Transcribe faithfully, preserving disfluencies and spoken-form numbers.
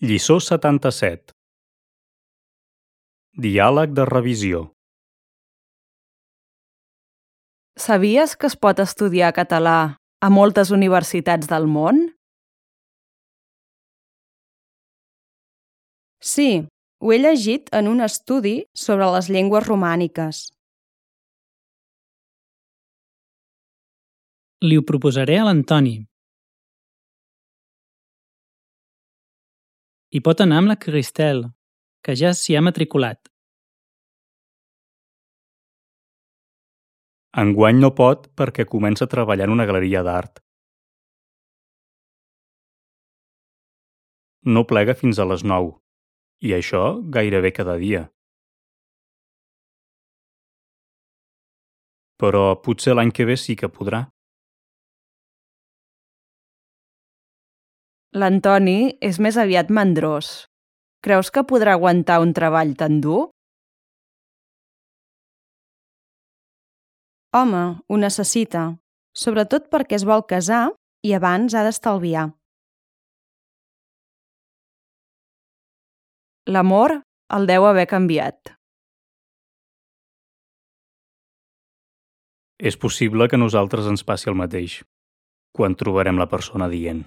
Lliçó setanta-set. Diàleg de revisió. Sabies que es pot estudiar català a moltes universitats del món? Sí, ho he llegit en un estudi sobre les llengües romàniques. Li ho proposaré a l'Antoni. Hi pot anar amb la Cristel, que ja s'hi ha matriculat. Enguany no pot perquè comença a treballar en una galeria d'art. No plega fins a les nou, i això gairebé cada dia. Però potser l'any que ve sí que podrà. L'Antoni és més aviat mandrós. Creus que podrà aguantar un treball tan dur? Home, ho necessita, sobretot perquè es vol casar i abans ha d'estalviar. L'amor el deu haver canviat. És possible que a nosaltres ens passi el mateix, quan trobarem la persona adient.